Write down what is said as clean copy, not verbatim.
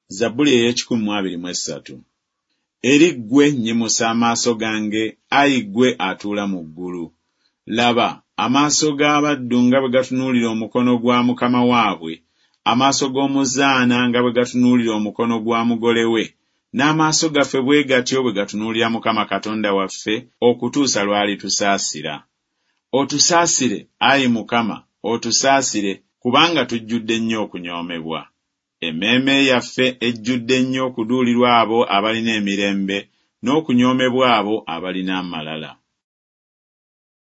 Zabbuli ey'ekikumi mu abiri mu essatu. Eri ggwe nnyimusa amaaso gange, ayi ggwe atuula mu ggulu. Laba, amaaso g'abaddu nga bwe gatunuulira omukono gwa mukama waabwe, amaaso g'omuzaana nga bwe gatunuulira omukono gwa mugole we, n'amaaso gaffe bwe gatyo bwe gatunuulira Mukama Katonda waffe okutuusa lw'alitusaasira. Otusaasire, ayi Mukama, otusaasire, kubanga tujjudde nnyo okunyoomebwa. Emmeeme yaffe ejjudde nnyo okuduulirwa abo abalina emirembe, n'okunyoomebwa abo abalina amalala.